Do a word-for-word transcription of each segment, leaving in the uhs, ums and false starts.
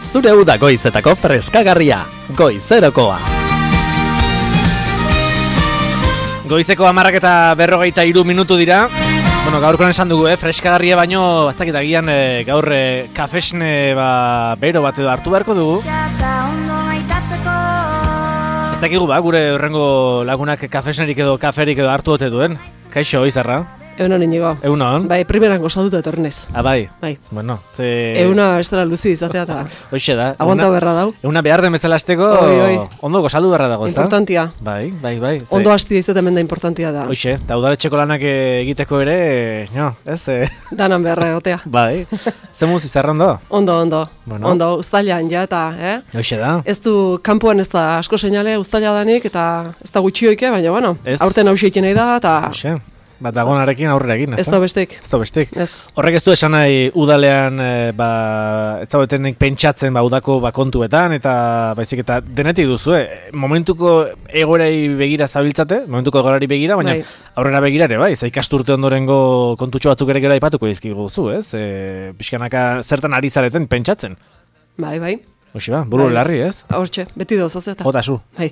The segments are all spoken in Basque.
zure uda goizetako freskagarria, goizerokoa. Goizeko hamarrak eta berrogeita hiru minutu dira. Bueno, gaurkoan esan dugu, eh, freskagarria baino, aztak eta gian eh, gaur eh, kafesne ba, bero bat edo hartu beharko dugu. Ez dakigu ba, gure horrengo lagunak kafesnerik edo kaferik edo hartu ote duen. Kaixo, Izarra? Egunon inigo. Egunon? Bai, primeran gozatuta etorrenez. Ah, bai? Bai. Bueno, ze... Euna estela luzi izatea eta... Hoxe da. Aguanta berra dau. Euna behar den bezala azteko, ondo gozaldu berra dago, ez da? Importantia. Bai, bai, bai. Ze... Ondo hastia izaten da importantia da. Hoxe, eta udaletxeko lanak egiteko ere, no, ez? Danan beharra egotea. Bai. Zemuz Izarra ondo? Ondo, ondo. Bueno. Ondo, uztailan ja eta, eh? Hoxe da. Ez du, kanpoan ez da asko seinale uztaila danik, eta ez da gutxioike, baina, bueno, ez... aurten hausiek nahi da, eta... Hoxe. Bat dagonarekin aurrera egin, ez da? Ez da bestik. Ez da bestik. Ez. Horrek ez du esan nahi udalean, e, ba, ez zaudetenek pentsatzen ba, udako ba, kontuetan, eta baizik eta denetik duzu, eh? Momentuko egoerari begira zabiltzate, momentuko egoerari begira, baina bai. Aurrera begira ere, bai, za ikasturte ondorengo kontutxo batzuk ere gero aipatuko dizkigu zu, ez? E, pixkanaka zertan ari zareten pentsatzen. Bai, bai. Hoxe ba, buru bai. Larri, ez? Hortxe, beti dozoz eta. Jota zu. Bai.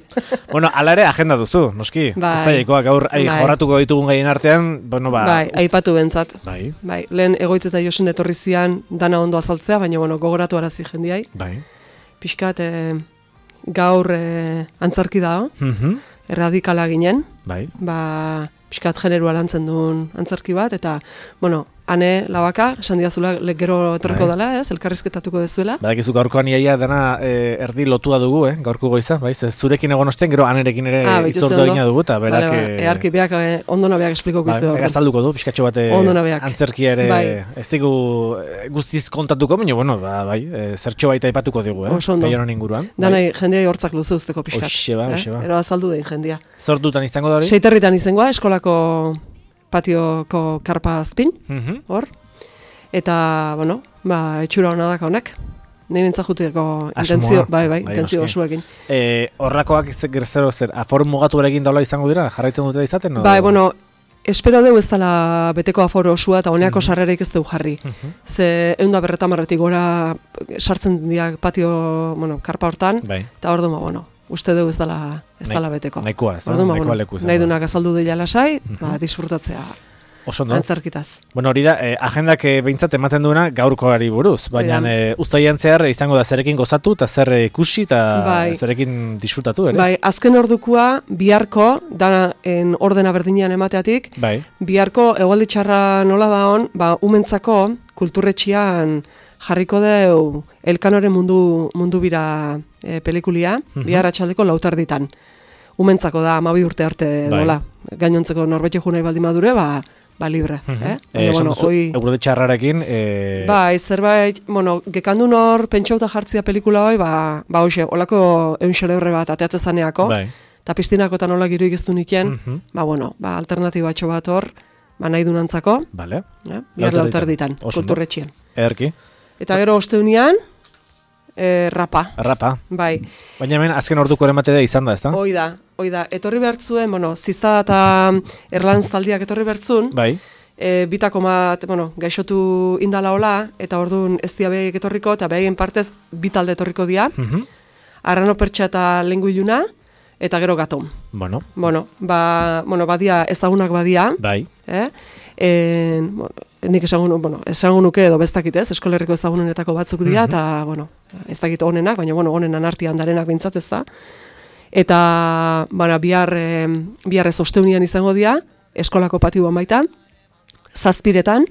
Bueno, ala ere agenda duzu, noski. Bai. Uztailekoak gaur bai. jorratuko ditugun gaien artean, bueno, ba... Bai, aipatu bentzat. Bai. Bai, lehen egoitz eta Josen etorri zian dana ondo azaltzea, baina, bueno, gogoratu arazi jendiai. Bai. Pixkat, eh, gaur eh, antzarki da, mhm, erradikala ginen. Bai. Ba, pixkat generua lantzen duen antzarki bat, eta, bueno, ane labaka, esan diazula gero etorriko bai. Dela, ez, elkarrizketatuko dezuela. Badakizu gaurkoan iaia dana e, erdi lotua dugu, eh, gaurko goiza, bai, zurekin egon osten, gero anerekin ere ah, itzordu egina dugu, eta berak... Vale, ba, earki beak, eh, ondo nabeak esplikoko izte. Ba, egazalduko du, pixkatxo bat antzerkia ere, bai. Ez digu guztiz kontatuko, baina, bueno, ba, bai, e, zertxo baita aipatuko digu, eh, kaionan inguruan. Danai, bai. Jendeai hortzak luze usteko pixkat. Oxe ba, oxe ba. Eh? Ero azaldu dein jendia. Zordutan izango da hori? Seiterritan izangoa, eskolako patioko karpa azpin, mm-hmm. hor. Eta, bueno, ba, etxura hona daka honak. Nei bentzajuteko intentzio, bai, bai, bai intentzio osuekin. Eh, horrakoak zero zer, afor mugatu erekin daula izango dira? Jarraitzen dute izaten? No? Bai, bueno, espero deu ez dela beteko aforo osua eta honeako mm-hmm. sarrereik ez deu jarri. Mm-hmm. Ze eunda berretamarretik gora sartzen diak patio, bueno, karpa hortan, bai. Eta hor duma, bueno, uste deu ez dela, ez dela beteko. Nahikoa, ez da, nahikoa bueno, leku izan. Nahi dunak azaldu dela lasai, mm-hmm. ba, disfrutatzea. Oso no? Antzarkitaz. Bueno, hori da, eh, agendak eh, behintzat ematen duena gaurkoari buruz, baina eh, uztailean zehar izango da zerekin gozatu eta zer ikusi eta bai. Zerekin disfrutatu, ere? Bai, azken ordukua biharko, dana en ordena berdinean emateatik, bai. Biharko egualdi txarra nola da hon, ba, umentzako kulturretxian jarriko deu Elkanoren mundu, mundu bira e, pelikulia, mm-hmm. bihar atxaldeko lautarditan. Umentzako da, amabi urte arte bai. Dola. Gainontzeko norbete junai baldin madure, ba, ba libre, uh-huh. eh? Eh, bueno, oi... Eurode txarrarekin... Eh... Bai, zerbait, bueno, gekandu nor pentsauta jartzia pelikula hoi, ba, ba hoxe, olako eunxele horre bat ateatze zaneako, bai. Eta piztinako eta nola giro igeztu niken, uh-huh. ba, bueno, ba, alternatibatxo bat hor, ba, nahi dunantzako, vale. eh? Bihar lautar ditan, kulturretxien. Erki. Eta gero osteunian, E, rapa. Rapa. Bai. Baina hemen azken orduko ematea izan da, ezta? Hoi da, hoi da. Etorri bertzuen, bueno, zizta eta erlantz taldiak etorri bertzun. Bai. E, bitako bat, bueno, gaixotu indala hola, eta orduan ez dia behik etorriko, eta behien partez bitalde etorriko dia. Uh-huh. Arrano pertsa eta lengu iluna, eta gero gatom. Bueno. Bueno, ba, bueno, badia, ezagunak badia. Bai. Eh? En, bueno, nik esango, bueno, esango nuke edo bestakit ez, eskolerriko ezagunenetako batzuk dira, eta, uh-huh. bueno, ez dakit onenak, baina, bueno, onenan artian darenak bintzat ez da. Eta, baina, bihar, eh, bihar ez osteunian izango dira, eskolako patioan baita, zazpiretan,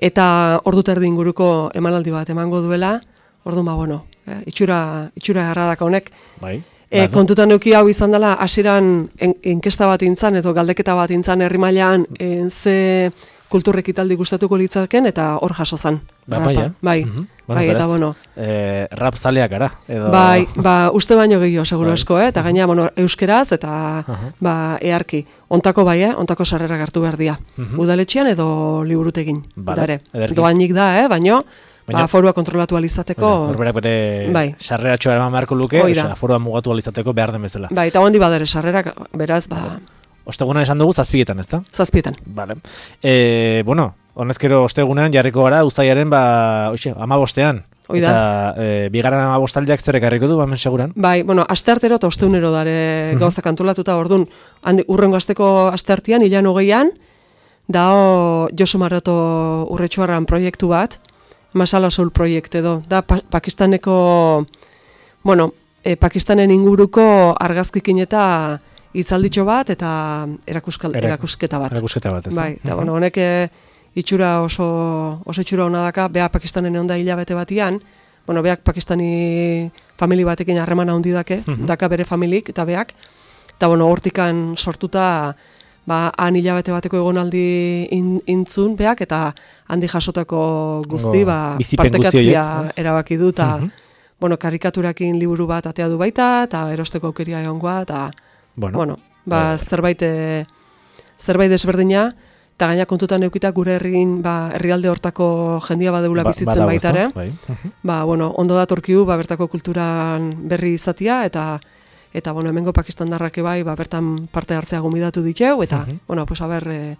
eta ordu terdi inguruko emanaldi bat emango duela, ordu ma, bueno, eh, itxura, itxura erradaka honek. Bai. E, kontutan euki hau izan dela, hasieran inkesta bat intzan, edo galdeketa bat intzan herri mailan en, ze kulturrek italdi gustatuko litzaken, eta hor jaso zan. Ba, bai, bai, uh-huh. bai, eta bueno. Eh, rap zaleak gara. Edo... Bai, ba, uste baino gehiago, seguro esko, eh? Eta gaina, bueno, euskeraz, eta uh-huh. ba, earki. Ontako bai, eh? Ontako sarrerak hartu behar dia. Uh-huh. Udaletxean edo liburutegin. Vale, doainik da, eh? Baino, ba, forua kontrolatu alizateko... Horberak bere bai. Sarreratxoa eraman beharko luke, oza, forua mugatu alizateko behar den bezala. Bai, eta hondi badere sarrerak, beraz, ba... Ostegunan esan dugu zazpietan, ezta? Zazpietan. Vale. E, bueno, honezkero ostegunean jarriko gara, uztailaren, ba, oixe, amabostean. hoi da. Eta e, bigarren amabostaldiak zer ekarriko du, hemen seguran? Bai, bueno, asteartero eta osteunero dare uh-huh. gauzak antolatuta, orduan, handi, urrengo asteko asteartian, hilan hogeian, dao Josu Maroto urretxuarran proiektu bat, Masala Soul proiekt edo, da pa Pakistaneko, bueno, e, Pakistanen inguruko argazkikin eta hitzalditxo bat, eta erakuskal, Erak, erakusketa bat. Erakusketa bat, ez Bai, eta bueno, honek itxura oso, oso itxura hona daka, beha Pakistanen egon da hilabete batian, bueno, beak pakistani famili batekin harremana handi dake, uh-huh. daka bere familik eta beak, eta bueno, hortikan sortuta, ba, han hilabete bateko egonaldi in, intzun beak, eta handi jasotako guzti, oh, ba, bizipen partekatzia guzti erabaki du, eta, uh-huh. bueno, karikaturakin liburu bat atea du baita, eta erosteko aukeria egongoa, eta, bueno, bueno ba, uh, zerbait, e, zerbait desberdina, eta gaina kontutan eukita gure herrin, ba, herrialde hortako jendia badeula ba, bizitzen baitare. Bai. Uh-huh. Ba, bueno, ondo datorkiu, ba, bertako kulturan berri izatia, eta eta bueno, hemengo pakistandarrak bai, ba, bertan parte hartzea gomidatu diteu, eta, uh-huh. bueno, pues, aber, e,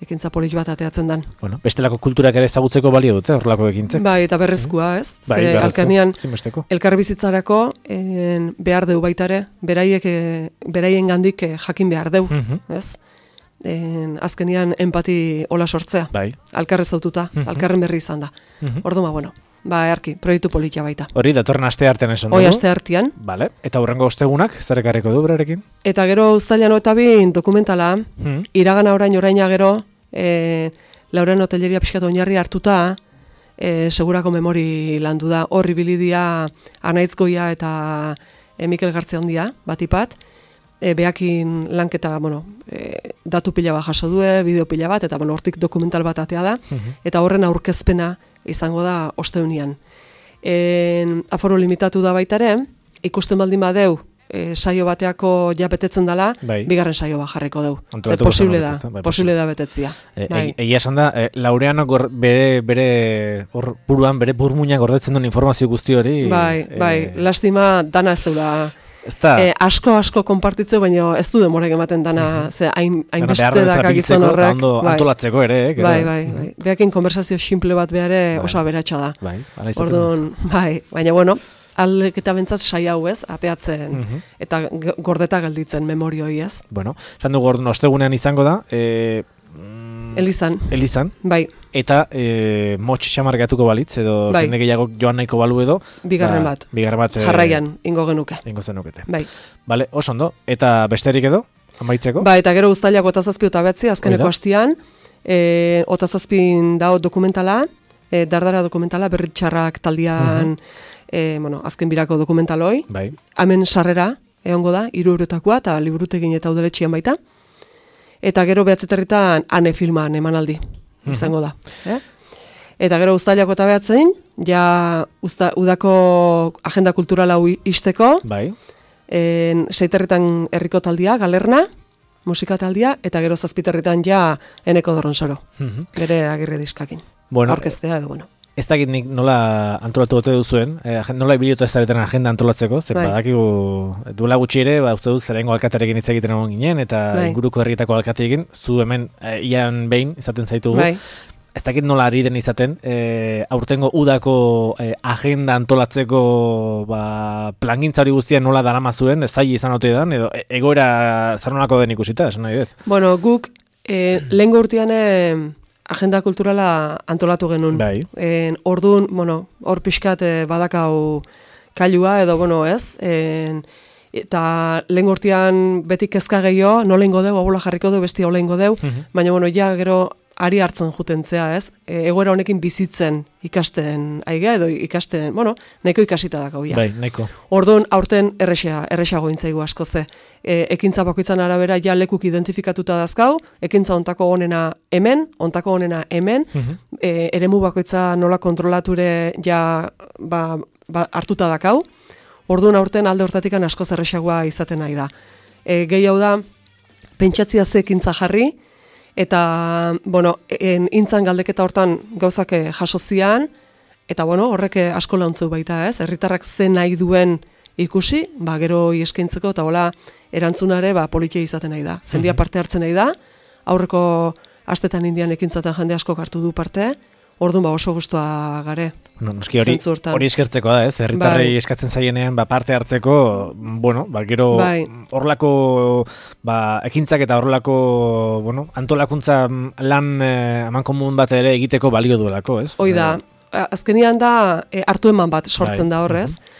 ekintza polit bat ateatzen dan. Bueno, bestelako kulturak ere ezagutzeko balio dute, horrelako ekintzek. Bai, eta berrezkoa, ez? Bai, Ze, alkarnian, zinbesteko. Elkarbizitzarako en, behar deu baitare, beraiek, e, beraien gandik e, jakin behar deu, uh-huh. ez? En, azkenian empati hola sortzea. Bai. Alkarrez aututa, uh-huh. alkarren berri izan da. Uh-huh. Orduan, bueno, ba, erki, proiektu politia baita. Hori, datorren aste artean esan dugu. Hoi aste artean. Vale. Eta hurrengo ostegunak, zer ekarriko du berarekin? Eta gero uztailan eta bin dokumentala, hmm. iragana orain oraina gero, e, Lauren Hotelleria pixkatu oinarri hartuta, e, segurako memori landu da, horri bilidia Anaitzgoia eta e, Mikel Gartziandia, batipat, e, beakin lanketa, bueno, e, datu pila bat jaso due, bideo pila bat, eta bueno, hortik dokumental bat atea da, uh-huh. eta horren aurkezpena izango da osteunian. E, aforo limitatu da baitare, ikusten baldin badeu, e, saio bateako ja betetzen dela, bai. Bigarren saio bat jarriko deu. Zer posible da, bai, posible da betetzia. E, bai. Egia esan da, e, Laureano gor, bere, bere or, buruan, bere burmuina gordetzen duen informazio guzti hori. Bai, e, bai, lastima dana ez deula. E, asko asko konpartitzeu, baina ez du demorek ematen dana, uh-huh. ze hain, hain beste daka gizon horrek. Bai. Antolatzeko ere, eh? Bai, bai, bai. Beakin konversazio simple bat behare oso aberatsa da. Bai, orduan, bai, baina bueno, aldek eta bentsat saia hau ez, ateatzen, uh-huh. eta gordeta gelditzen memorioi ez. Bueno, esan dugu orduan ostegunean izango da, e, Elizan. Elizan. Bai. Eta e, motx xamargatuko balitz, edo bai. Jende gehiago joan nahiko balu edo. Bigarren bat. Bigarren bat. Jarraian, ingo genuke. Ingo zenukete. Bai. Bale, oso ondo. Eta besterik edo, amaitzeko? Ba, eta gero uztailak otazazpi eta betzi, azkeneko hastian, e, otazazpin dao dokumentala, e, dardara dokumentala, berritxarrak taldian, uh-huh. e, bueno, azken birako dokumentaloi. Bai. Hemen sarrera, egongo da, hiru eurotakoa, eta liburutekin eta udaletxian baita. Eta gero behatzeterritan ane filman emanaldi izango da. Eh? Eta gero uztailako eta behatzen, ja usta, udako agenda kulturala isteko, bai. En, seiterritan herriko taldia, galerna, musika taldia, eta gero zazpiterritan ja eneko dorronsoro, uh-huh. bere agirre diskakin. Bueno, orkestea edo, bueno. Ez dakit nik nola antolatu gote duzuen, eh, nola ibiliotu ez zaretan agenda antolatzeko, zer bai. Badakigu duela gutxi ere, ba, uste dut zerengo alkaterekin hitz egiten egon ginen, eta bai. Inguruko herrietako alkateekin, zu hemen eh, ian behin izaten zaitugu. Bai. Ez dakit nola ari den izaten, eh, aurtengo udako eh, agenda antolatzeko ba, plangintzari guztian nola darama zuen, zai izan ote dan, edo egoera zarnolako den ikusita, esan nahi dut. Bueno, guk eh, lehen urtean agenda kulturala antolatu genuen. Bai. En, orduan, bueno, hor pixkat eh, badakau kailua edo, bueno, ez? En, eta lehen urtean beti kezka gehiago, nola ingo deu, abola jarriko deu, besti hola ingo deu, uh-huh. baina, bueno, ja gero ari hartzen jutentzea, ez? E, egoera honekin bizitzen ikasten aigea edo ikasten, bueno, nahiko ikasita dakau ja. Bai, nahiko. Orduan, aurten erresa, erresago intzaigu asko ze. E, ekintza bakoitzan arabera ja lekuk identifikatuta dazkau, ekintza ontako honena hemen, ontako honena hemen, uh-huh. e, eremu bakoitza nola kontrolature ja ba, ba, hartuta dakau. Orduan, aurten alde hortatikan asko zerresagoa izaten nahi da. E, gehiago da, pentsatzia ze ekintza jarri, eta, bueno, en, intzan galdeketa hortan gauzak jaso zian, eta, bueno, horrek asko launtzeu baita, ez? Herritarrak ze nahi duen ikusi, ba, gero eskaintzeko, eta hola, erantzunare, ba, politia izaten nahi da. Jendia parte hartzen nahi da, aurreko astetan indian ekintzaten jende asko hartu du parte, Orduan ba oso gustua gare. No, noski hori, hori eskertzeko da, ez? Herritarrei bai. Eskatzen zaienean ba, parte hartzeko, bueno, ba, gero horrelako ba, ekintzak eta horrelako bueno, antolakuntza lan eh, amankomun bat ere egiteko balio duelako, ez? Hoi da, azkenian da e, hartu eman bat sortzen bai. Da horrez. Uh-huh.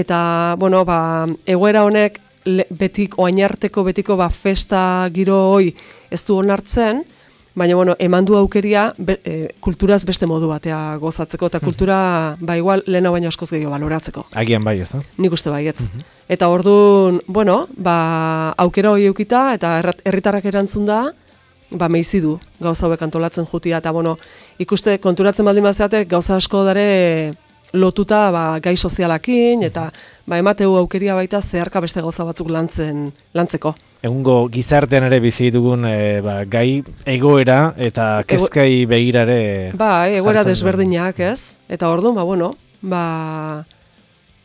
Eta, bueno, ba, egoera honek betik, oainarteko betiko ba, festa giro hoi ez du onartzen, baina, bueno, eman du aukeria be, e, kulturaz beste modu batea gozatzeko, eta kultura, ba, igual, lehena baina askoz gehiago baloratzeko. Agian bai, ez da? Nik uste bai, ez. Uh-huh. Eta orduan, bueno, ba, aukera hori eukita, eta herritarrak erantzun da, ba, meizi du gauza hauek antolatzen jutia, eta, bueno, ikuste, konturatzen baldin bazeate, gauza asko dare lotuta, ba, gai sozialakin, eta, ba, emateu aukeria baita zeharka beste gauza batzuk lantzen, lantzeko. Egungo gizartean ere bizi dugun e, ba, gai egoera eta kezkai Ego... begirare. Ba, egoera desberdinak, ez? Eta orduan, ba, bueno, ba,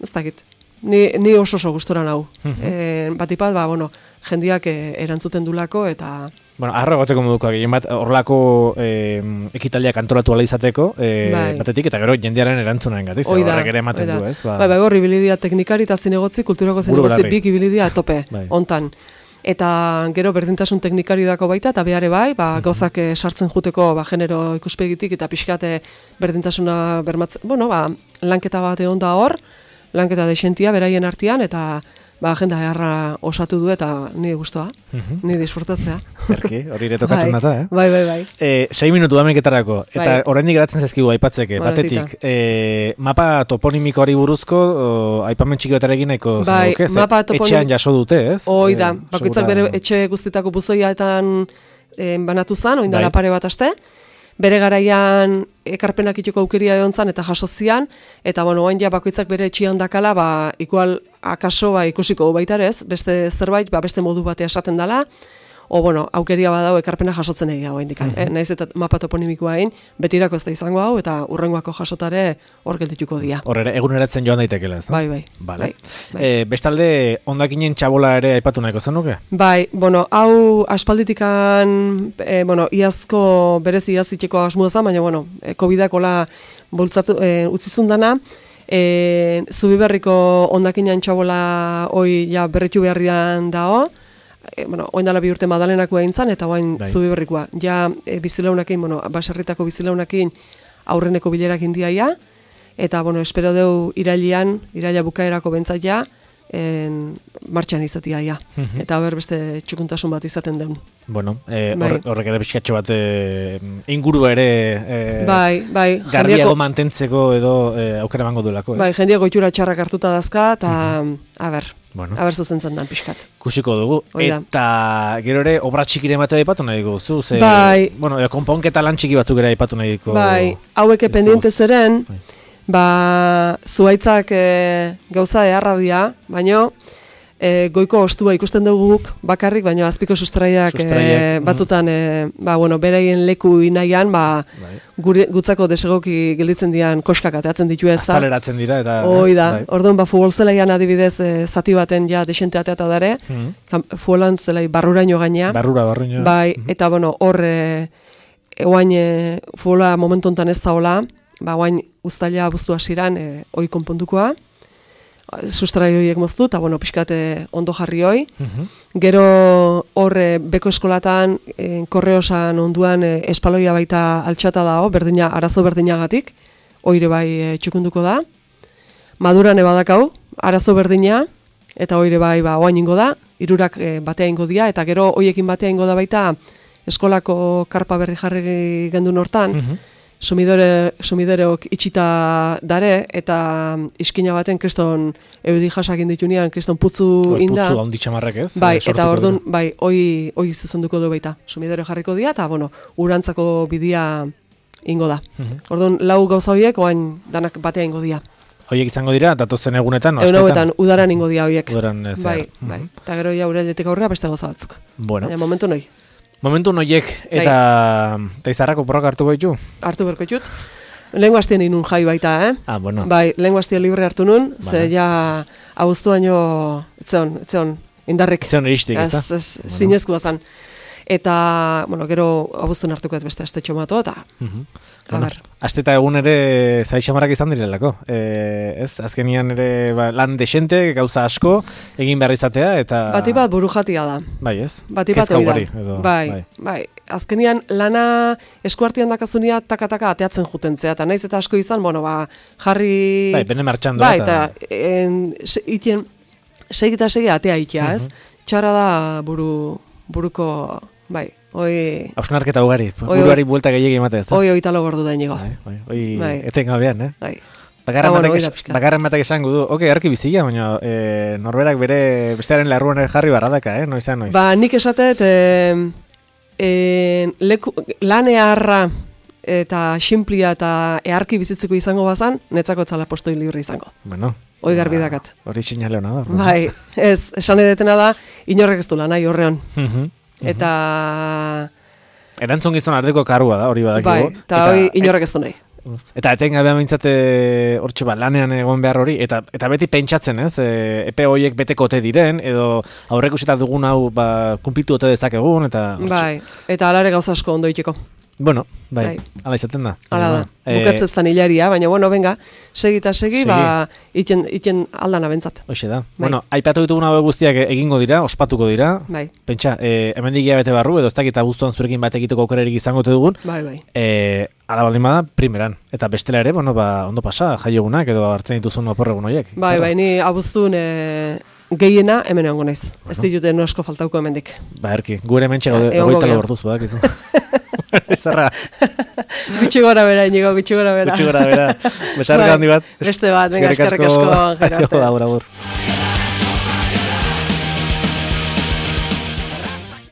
ez dakit, ni, ni oso oso gustora nau. e, Batipat, ba, bueno, jendiak e, erantzuten dulako, eta... Bueno, arro egoteko moduko, egin bat, horrelako e, ekitaldiak antolatu ala izateko, e, bai. Batetik, eta gero jendearen erantzunaren gatik, horrek ere ematen du, ez? Ba, bai, bai, hor, ibilidia teknikari eta zinegotzi, kulturako zinegotzi, bik ibilidia tope, bai. Ontan. Eta gero berdintasun teknikari dako baita, eta behare bai, ba, gauzak e, sartzen juteko ba, genero ikuspegitik, eta pixkate berdintasuna bermatzen, bueno, ba, lanketa bat egon da hor, lanketa desentia beraien artean, eta ba, agenda eharra osatu du eta ni gustoa, uh-huh. Ni disfrutatzea. Erki, hori ere tokatzen data, eh? Bai, bai, bai. E, sei minutu dameketarako, eta bai. Oraindik geratzen zaizkigu aipatzeke, batetik, e, mapa toponimiko hori buruzko, o, aipamen txiki bat egin nahiko bai, zen, mapa toponim... etxean jaso dute, ez? Hoi da, e, bakoitzak bere etxe guztitako buzoiaetan e, banatu zen, oindala bai. Pare bat aste, bere garaian ekarpenak ituko aukeria egon zan eta jaso zian, eta bueno, oain ja bakoitzak bere etxian dakala, ba, igual akaso ba, ikusiko baitarez, beste zerbait, ba, beste modu batea esaten dela, o bueno, aukeria badau ekarpena jasotzen egia hau indikan. Uh-huh. eh? Naiz eta mapa toponimikoa egin, betirako ez da izango hau, eta urrengoako jasotare hor geldituko dira. Horre, eguneratzen joan daitekela, ez da? Bai, bai. Vale. bai, bai. E, bestalde, ondakinen txabola ere aipatu nahiko zenuke? Bai, bueno, hau aspalditikan, e, bueno, iazko berez iazitxeko asmoa zen, baina, bueno, e, covidak hola bultzatu, e, utzizun dana, e, Zubiberriko ondakinen txabola hoi ja berritu beharrian dao, E, bueno, oindala bi urte Madalenako egin zan, eta oain bai. Zubiberrikoa. Ja, e, bizilaunakin, bueno, baserritako bizilaunakin aurreneko bilerak indiaia, eta, bueno, espero deu irailian, iraila bukaerako bentzat ja, en, martxan izatia ja. Uh-huh. Eta ber beste txukuntasun bat izaten deun. Bueno, e, bai. horrek ere pixkatxo bat e, inguru ere e, bai, bai, garbiago jendiako, mantentzeko edo e, aukera bango duelako. Bai, jendiago itxura txarrak hartuta dazka, eta, uh-huh. a ber, bueno. a ber zuzentzen dan pixkat. Kusiko dugu, Oida. Eta gero ere obra txikire ematea aipatu nahi dugu, zu? Ze, bai. Bueno, e, konponketa lan txiki batzuk ere aipatu nahi dugu. Bai, haueke pendiente zeren, bai. Ba, zuaitzak e, gauza eharra dia, baino, e, goiko ostua ikusten dugu guk bakarrik, baina azpiko sustraiak e, batzutan e, ba, bueno, bereien leku inaian, ba, bai. gure, gutzako desegoki gelditzen dian koskak ateatzen ditu ez. Azaleratzen dira. Eta, hoi da, bai. Orduan ba, futbol zelaian adibidez e, zati baten ja desente ateata dare, mm-hmm. futbolan zelai barruraino gainea. Barrura, barruraino. Bai, mm-hmm. Eta bueno, hor e, eguain e, futbola momentu honetan ez da hola, ba, oain uztaila abuztu hasiran e, oi konpondukoa, sustrai horiek moztu, eta bueno, pixkate ondo jarri hoi. Uh-huh. Gero horre beko eskolatan, e, korreosan onduan e, espaloia baita altxata dago, berdina, arazo berdinagatik, oire bai e, txukunduko da. Maduran ebadakau, arazo berdina, eta oire bai ba, oain ingo da, irurak e, batea ingo dia, eta gero hoiekin batea ingo da baita eskolako karpa berri jarri gendun hortan, uh-huh. Sumidore, sumidereok itxita dare, eta iskina baten kriston eudi jasak inditunean, kriston putzu inda. Putzu handi txamarrak ez? Bai, eta orduan, bai, oi, oi zuzenduko du baita. Sumidore jarriko dira, eta, bueno, urantzako bidia ingo da. Uh-huh. Orduan, lau gauza horiek, oain danak batea ingo dira. Hoiek izango dira, datozen egunetan, Egun hauetan, udaran ingo dira horiek. Udaran ez. Bai, uh-huh. bai. Eta gero ja urailetik aurrera beste gauza batzuk. Bueno. Baina momentu noi. Momentu noiek eta bai. Izarrako porrak hartu baitu? Hartu berko ditut. Lehengo hastien inun jai baita, eh? Ah, bueno. Bai, lehengo hastien libre hartu nun, vale. Ze ja abuztu baino, etzeon, etzeon, indarrik. Etzeon eristik, ez da? Ez, ez, bueno. Zinezkoa zan. Eta, bueno, gero abuztun hartuko ez beste astetxo mato, eta, Mhm. a Bueno, ber. aste eta egun ere zaixamarrak izan direlako. E, ez, azkenian ere ba, lan desente, gauza asko, egin behar izatea, eta... Bati bat buru jatia da. Bai, ez? Bati bat Kezka hori da. ugari, edo, Bai, bai. bai. Azkenian lana eskuartian dakazunia taka-taka ateatzen jutentzea, eta naiz eta asko izan, bueno, ba, jarri... Bai, bene martxandoa. Bai, eta en, se, iten, segi eta segi atea itea, ez? Txarra da buru, buruko, bai, oi... Hausnarketa ugari, Oi, buruari buelta gehiagi ematea, ez da? Oi, oi talo gordu da inigo. Bai, bai, oi, Bai. etengabean, eh? Bai. Bakarren Ah, bueno, batek, hori da es- pixka. bakarren batek esango du, oke, arki bizia, baina e, norberak bere bestearen larruan ere jarri barradaka, eh? Noizan, noiz. Ba, nik esatet, e, e, leku, lan eharra eta xinplia eta eharki bizitzeko izango bazan, netzako txala postoi libre izango. Bueno. Hoi garbi ba, dakat. Hori sinale hona da. Bai, ez, esan edetena da, inorrek ez du lan, nahi horrean. Mhm. Eta, Erantzun gizon ardeko karua da, hori badakigu. bai, eta hoi inorrek ez du nahi. Eta etengabean mintzate hortxe ba, lanean egon behar hori, eta eta beti pentsatzen, ez? E, epe horiek beteko ote diren, edo aurreikusita dugun hau ba, kumplitu ote dezakegun, eta... hortxe. Bai, eta alare gauza asko ondo iteko. Bueno, bai, Bai. ala izaten da. Hala da, Bueno, eh, bukatzeztan hilaria, baina, bueno, venga, segi eta segi, Segi. ba, iten, iten aldana bentzat. Hoxe da. Bai. Bueno, aipatu ditugun hauek guztiak egingo dira, ospatuko dira. Bai, Pentsa, eh, hemendik hilabete barru, edo ez dakit abuztuan zurekin bat egiteko aukerarik izango te dugun, bai, bai. eh, ala baldin bada, primeran. Eta bestela ere, bueno, ba, ondo pasa, jaiogunak edo hartzen dituzun oporregun horiek. Bai, Zer? bai, ni abuztun e, gehiena hemen egongo naiz. Ez ditute nosko faltauko hemendik. Ba, erki, gure mentxe Ja, gaude, egongo egoita gea. lagortuz, badakizu. Ezarra, Gutxi gora bera, inigo, gutxi gora bera. gutxi gora bera. Besarka Bai, handi bat. Beste bat, venga, eskerrik asko, Gerarte. Aio, agur, agur.